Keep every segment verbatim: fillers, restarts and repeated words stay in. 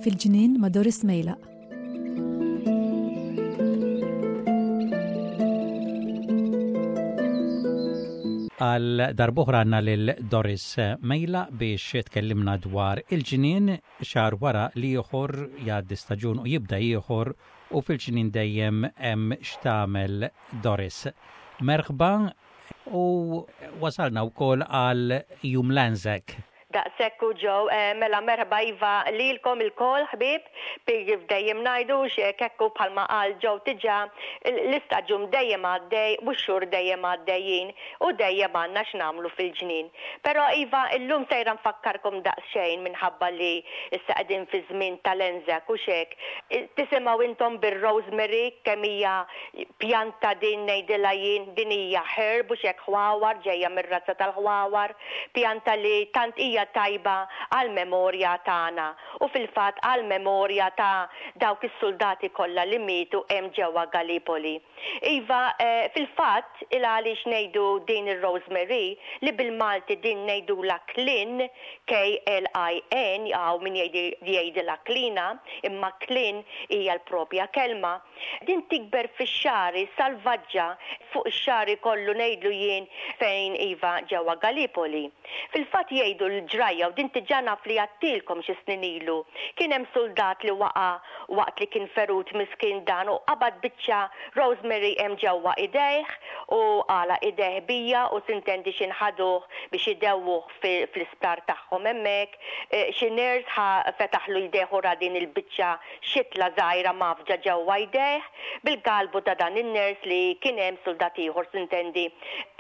Fil-ġnien ma' Doris Mejlaq. Għal darb'oħra għandna lil Doris Mejlaq biex tkellimna dwar il-ġnien. Xahar wara l-ieħor jgħaddi staġun u jibda ieħor u fil-ġnien dejjem hemm x'tagħmel, Doris. Merħba, u wasalna wkoll għal Jum l-Anzac. Daqshekk hu, Joe, eh, mela merħba iva lilkom ilkoll, ħbieb, kif dejjem ngħidu hekk bħalma qal Joe diġà, l-istaġun dejjem għaddej u x-xhur dejjem għaddejjin u dejjem għandna x'nagħmlu fil-ġnien. Però iva, illum sejra nfakkarkom daqsxejn minħabba li issa qegħdin fi żmien tal-Anzac u hekk. Tisimgħu intom bir-rosemary, kemm hija pjanta din, ngħidilha jien, din hija herb u hekk, ħwawar, ġejja mir-razza tal-ħwawar, pjanta li tant hija tajba għal-memorja tagħna u fil-fatt għal-memorja ta' dawk is-soldati kollha li mietu hemm ġewwa Gallipoli. Iva, eh, fil-fatt il għaliex ngħidu din ir-rosemary, li bil-Malti din ngħidula klin, K L I N, hawn min jgħidilha klina, imma klin hija l-propja kelma. Din tikber fix-xagħri salvaġġa, fuq ix-xagħri kollu, ngħidlu jien, fejn iva ġewwa Gallipoli. Fil-fatt jgħidu l-ġrajja, u din diġà naf li għedtilkom xi snin ilu. Kien hemm soldat li waqa' waqt li kien ferut, miskin dan, u qabad biċċa rosemary hemm ġewwa idejh u għalaq idejh biha u s'intendi x'ħin ħaduh biex idewwuh fl-isptar tagħhom hemmhekk. E, xi nurse ħa fetaħlu jdejh u ra din il-biċċa xitla żgħira mgħaffġa ġewwa jdejh. Bil-galbu ta' dan in-nurse li kien hemm soldat ieħor, s'intendi,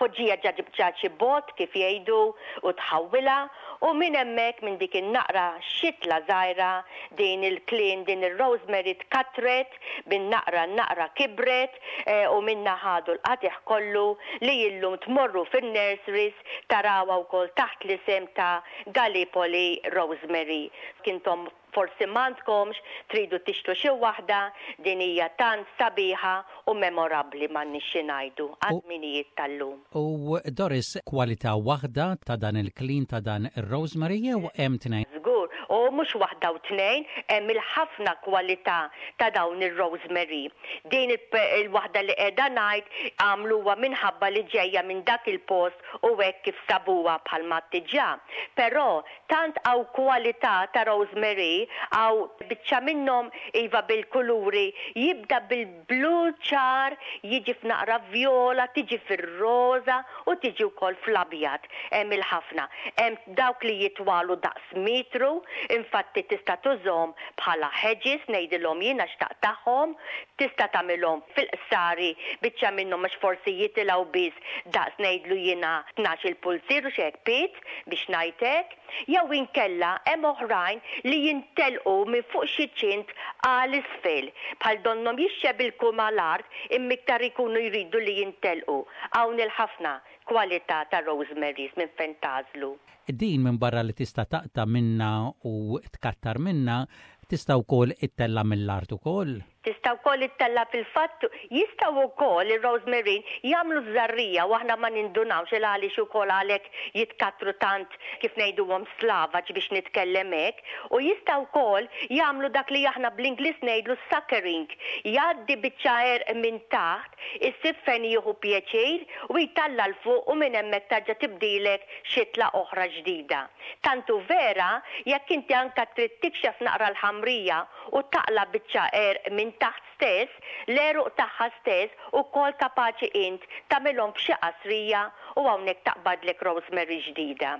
poġġieha ġo biċċa xi bott, kif jgħidu, u tħawwilha, u minn hemmhekk, minn dik in-naqra xitla żgħira, din il-klin, din ir-rosemary tkatret, bin naqra naqra kibret e, u minna ħadu l-qatigħ kollu li illum tmorru fin-nurseries tarawha wkoll taħt l-isem ta' Gallipoli Rosemary. Intom forsi m'għandkomx, tridu tixtru xi waħda, din hija tant sabiħa u memorabbli, m'għandniex xi ngħidu, għaż-żminijiet tal-lum. U Doris, kwalità waħda ta' dan il-klin, ta' dan ir-rosemary, jew hemm tnejn? Żgur, u mhux waħda u tnejn, hemm il-ħafna kwalità ta' dawn ir-rosemary. Din il-waħda li qiegħda ngħid għamluha minħabba li ġejja minn dak il-post u hekk kif sabuha bħalma diġà. Però tant hawn kwalità ta' rosemary, hawn biċċa minnhom iva bil-kuluri, jibda bil-blu ċar, jiġi f'naqra vjola, tiġi fir-roża u tiġi wkoll fl-abjad. Hemm il-ħafna. Hemm dawk li jitwalu daqs metru, infatti tista' tużhom bħala hedges, ngħidilhom jiena, x'taqtagħhom, tista' tagħmilhom fil-qsari biċċa minnhom għax forsi jitilgħu biss daqs, ngħidlu jiena, tnax-il pulzier u xi pied, biex ngħidlek, jew inkella hemm oħrajn li jintelqu minn fuq xi ċint għal isfel, bħal donnhom jixxebilku mal-art, imma iktar ikunu jridu li jintelqu. Hawn il-ħafna kwalità ta' rosemarys minn fejn tagħżlu. Din minn barra li tista' taqta' minna u tkattar minna, tista' wkoll ittella' mill-art ukoll? Tista' wkoll ittella'. Fil-fatt jistgħu wkoll ir-rosemary jagħmlu żerriegħa u aħna ma nindunawx, il għaliex ukoll għalhekk jitkatru tant, kif ngħiduhom, slavaġ, biex nitkellem hekk, u jistgħu wkoll jagħmlu dak li aħna bl-Ingliż ngħidlu suckering. Jgħaddi biċċa għerq minn taħt, issib fejn jieħu pjaċir u jtella' 'l fuq u minn hemmhekk terġa' tibdilek xitla oħra ġdida. Tant hu vera, jekk inti anka trid tikxef naqra l-ħamrija u taqla' biċċa għerq minn taħt stess, l-għeruq tagħha stess, ukoll kapaċi int tagħmilhom f'xi qasrija u hawnhekk taqbadlek rosemary ġdida.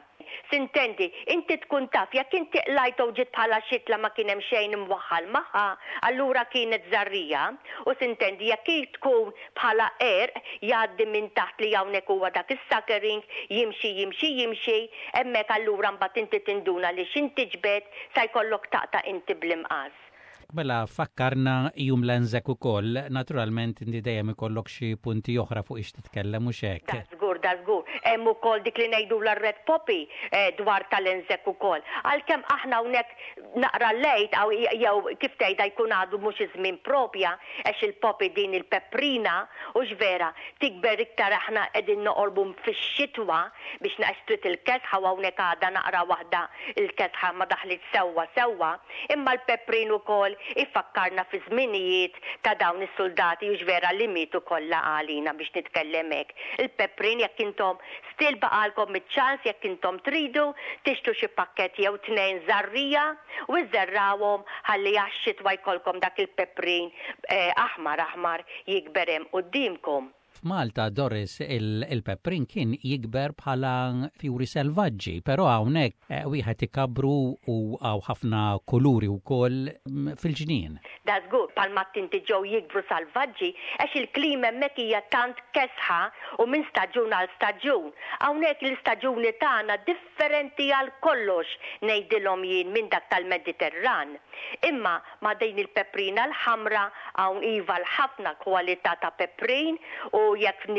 S'intendi, inti tkun taf, jekk inti qlajt u ġiet bħala xitla, ma kien hemm xejn imwaħħal magħha, allura kienet żerriegħa, u s'intendi jekk hi tkun bħala għerq jgħaddi minn taħt, li hawnhekk huwa dak is-suckering, jimxi, jimxi, jimxi, hemmhekk allura mbagħad inti tinduna li x'ħin tiġbed sa jkollok taqta' inti bl-imqas. Mela fakkarna Jum l-Anzac ukoll, naturalment inti dejjem ikollok xi punti oħra fuq ix titkellem, u hekk. Da żgur. Da żgur. Hemm ukoll dik li ngħidu l-red poppy eh, dwar tal-Anzac ukoll. Għalkemm aħna hawnhekk naqra lejt jew kif tgħidha jkun għadu mhux iż-żmien propja, għax il-poppy, din il-peprina, u vera tikber iktar aħna qegħdin noqorbu fix-xitwa biex naqstrit il-kesħa, u hawnhekk għadha naqra waħda il-kesħa ma daħlit sewwa sewwa, imma l-peprin ukoll ifakkarna fi żminijiet ta' dawn is-soldati u vera li mietu kollha għalina, biex nitkellem hekk. Il-peprin, jekk intom still baqalkom iċ-ċans, jekk intom tridu tixtru xi pakket jew tnejn żarrija u żerrawhom ħalli għax-xitwa jkollkom dak il-peprin eh, aħmar aħmar jikber hemm quddiemkom. F'Malta, Doris, il-peprin kien jikber bħala fjuri selvaġġi, però hawnhekk eh, wieħed ikabru u hawn ħafna kuluri wkoll mm, fil-ġnien. Da żgur, bħalma inti ġew jikbru salvaġġi għax il-klima hemmhekk hija tant kesħa u minn staġun għal staġun. Hawnhekk l-istaġuni tagħna differenti għal kollox, ngħidilhom jien, minn dak tal-Mediterran. Imma ma' din il-peprina l-ħamra hawn iva l-ħafna kwalità ta' peprin u jekk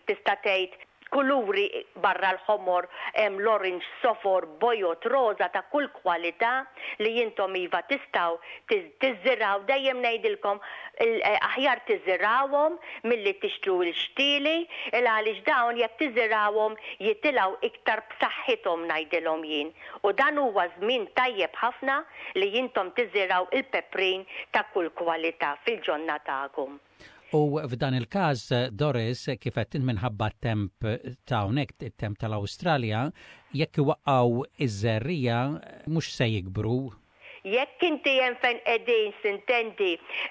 tista' tgħid kuluri barra l-ħomor hemm l-orange, sofor, bojod, roza, ta' kull kwalità li jintom iva tistgħu tiżirgħu. Dejjem ngħidilkom, eh, aħjar tiżirgħuhom milli tixtru l-xtieli, il għaliex dawn jekk tiżirgħuhom jitilgħu iktar b'saħħithom, ngħidilhom jien. U dan huwa żmien tajjeb ħafna li jintom tiżirgħu il-peprin ta' kull kwalità fil-ġonna tagħkom. U f'dan il-każ, Doris, kif qed minħabba temp ta' hawnhekk, it-temp tal-Awstralja, jekk iwaqqgħu iż-żerrija mhux se jikbru? Jekk inti hemm fejn qegħdin sintendi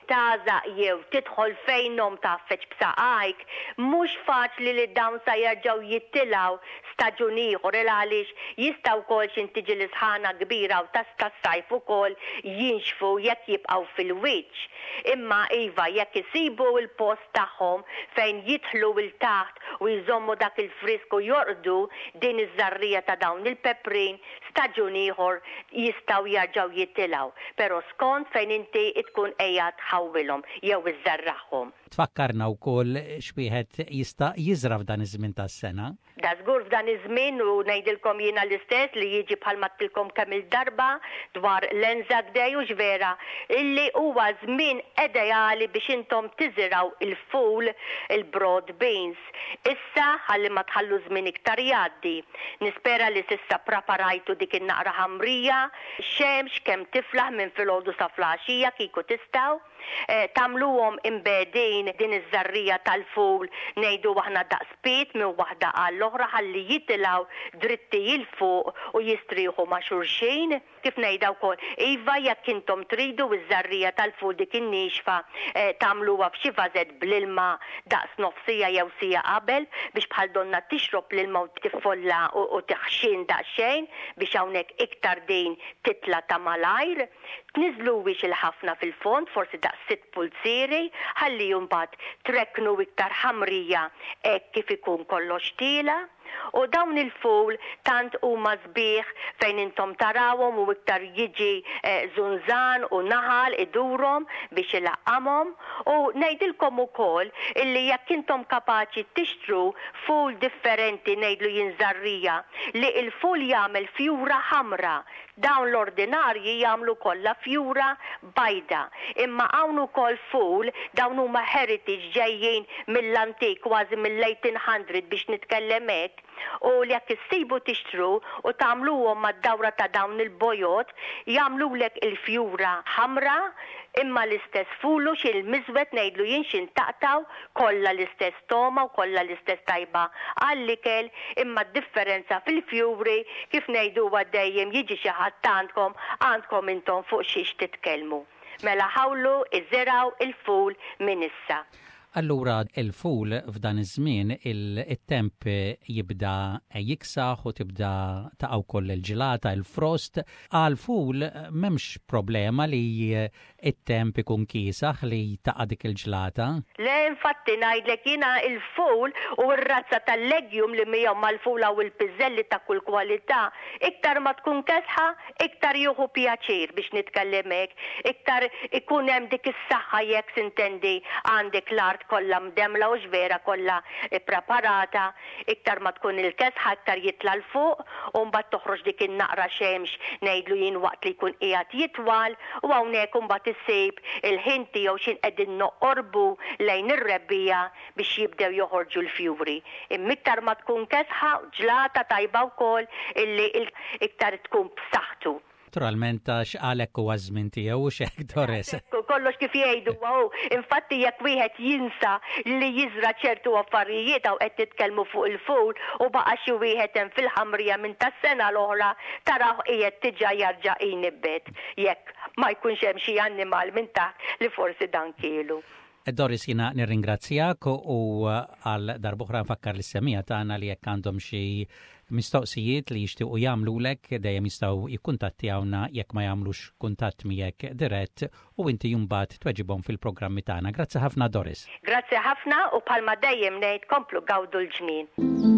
tażaq jew tidħol fejnhom tgħaffeġ b'saqajk, mhux faċli li dawn sa jerġgħu jittilgħu staġun ieħor, il għaliex jista' wkoll xi tiġi l-isħana kbira u tas tas-sajf ukoll jinxfu jekk jibqgħu fil-wiċċ. Imma iva, jekk isibu il-post tagħhom fejn jidħlu 'l taħt u jżommu dak il-frisku, jorqdu din iż-żarrija ta' dawn il-peprin, staġun ieħor jistgħu jerġgħu jitilgħu. Però skont fejn inti tkun qiegħed tħawwilhom jew iżżerraħhom. Tfakkarna wkoll x'wieħed jista' jiżra f'dan iż-żmien tas-sena. Da żgur, f'dan iż-żmien, u ngħidilkom jiena l-istess li jiġi bħalma għedtilkom kemm il-darba dwar l-Anzac Day, u vera illi huwa żmien ideali biex intom tiżiraw il-ful, il-broad beans. Issa ħalli ma tħallu żmien iktar jgħaddi. Nispera li s'issa preparajtu dik in-naqra ħamrija, xemx kemm tiflaħ minn filgħodu sa filgħaxija kieku tistgħu. Eh, tagħmluhom imbegħdin din iż-żarrija tal-ful, ngħidu aħna daqs pied minn waħda għall-oħra, ħalli jitilgħu dritti 'l fuq u jistrieħu ma' xulxin. Kif ngħidha wkoll, iva, jekk intom tridu iż-żarrija tal-ful dik in-nixfa eh, tagħmluha f'xi vażett bl-ilma daqs nofsija jew sija qabel biex bħal donna tixrob l-ilma u tiffolla u tiħxin daqsxejn biex hawnhekk iktar din titla' ta' malajr. Tniżluwix il-ħafna fil-fond, forsi daqs sitt pulzieri, ħalli mbagħad trekknu iktar ħamrija hekk kif ikun kollox tiela'. U dawn il-ful tant huma sbieħ fejn intom tarawhom u iktar jiġi eh, zunzan u naħal idurhom biex ilaqqamhom. U ngħidilkom ukoll illi jekk intom kapaċi tixtru ful differenti, ngħidlu jien żarrija li il-ful jagħmel fjura ħamra. Dawn l-ordinarji jagħmlu kollha fjura bajda. Imma hawn ukoll ful, dawn huma heritage, ġejjin mill-antik, kważi mill-eighteen hundred biex nitkellem hekk, u li jekk issibu tixtru u tagħmluhom mad-dawra ta' dawn il-bojod jagħmlulek il-fjura ħamra, imma l-istess fulu xi l-miżwet, ngħidlu jien, xi taqtaw kollha l-istess toma u kollha l-istess tajba għall-ikel, imma d-differenza fil-fjuri, kif ngħidu dejjem, jiġi xi ħadd għandkom, għandkom intom fuq xiex titkellmu. Mela ħawlu, iżirgħu il-ful minn issa. Allura il-ful f'dan iż-żmien, il-temp jibda jiksaħ u tibda taqa' wkoll il-ġilata, il-frost. Għal ful m'hemmx problema li it-temp ikun kiesaħ li taqa' dik il-ġlata. Le, infatti ngħidlek jiena, il-ful u r-razza tal-legume li miegħu mal-fula u l-piżelli ta' kull kwalità, iktar ma tkun kesħa, iktar jieħu pjaċir biex nitkellem hekk, iktar ikun hemm dik is-saħħa jekk s'intendi għandek l-art kollha mdemla u vera kollha preparata, iktar ma tkun il-kesħa iktar jitla' 'l fuq u mbagħad toħroġ dik in-naqra xemx, ngħidlu jien, waqt li jkun qiegħed jitwal, u hawnhekk imbagħad issib il-ħin tiegħu x'ħin qegħdin noqorbu lejn ir-rebbiegħa biex jibdew joħorġu l-fjuri. Imma iktar ma tkun kesħa, ġlata tajba wkoll, illi iktar tkun b'saħħtu. Naturalment, għax għalhekk huwa żmien tiegħu u xek, Doris. Kollox kif jgħidu hu, infatti jekk wieħed jinsa li jiżra ċertu affarijiet, hawn qed nitkellmu fuq il-ful, u baqa' xi wieħed hemm fil-ħamrija minn tas-sena l-oħra, taraw qiegħed diġà jarġa' jnibbet jekk ma jkunx hemm xi annimal minn taħt li forsi dan kielu. Doris, jiena nirringrazzjak u għal darb'oħra nfakkar lis-semmiegħa tagħna li jekk għandhom xi mistoqsijiet li jixtiequ jagħmlulek, dejjem jistgħu jikkuntattjawna jekk ma jagħmlux kuntatt miegħek dirett, u inti mbagħad tweġibhom fil-programmi tagħna. Grazzi ħafna, Doris. Grazzi ħafna, u bħalma dejjem ngħid, komplu gawdu l-ġnien.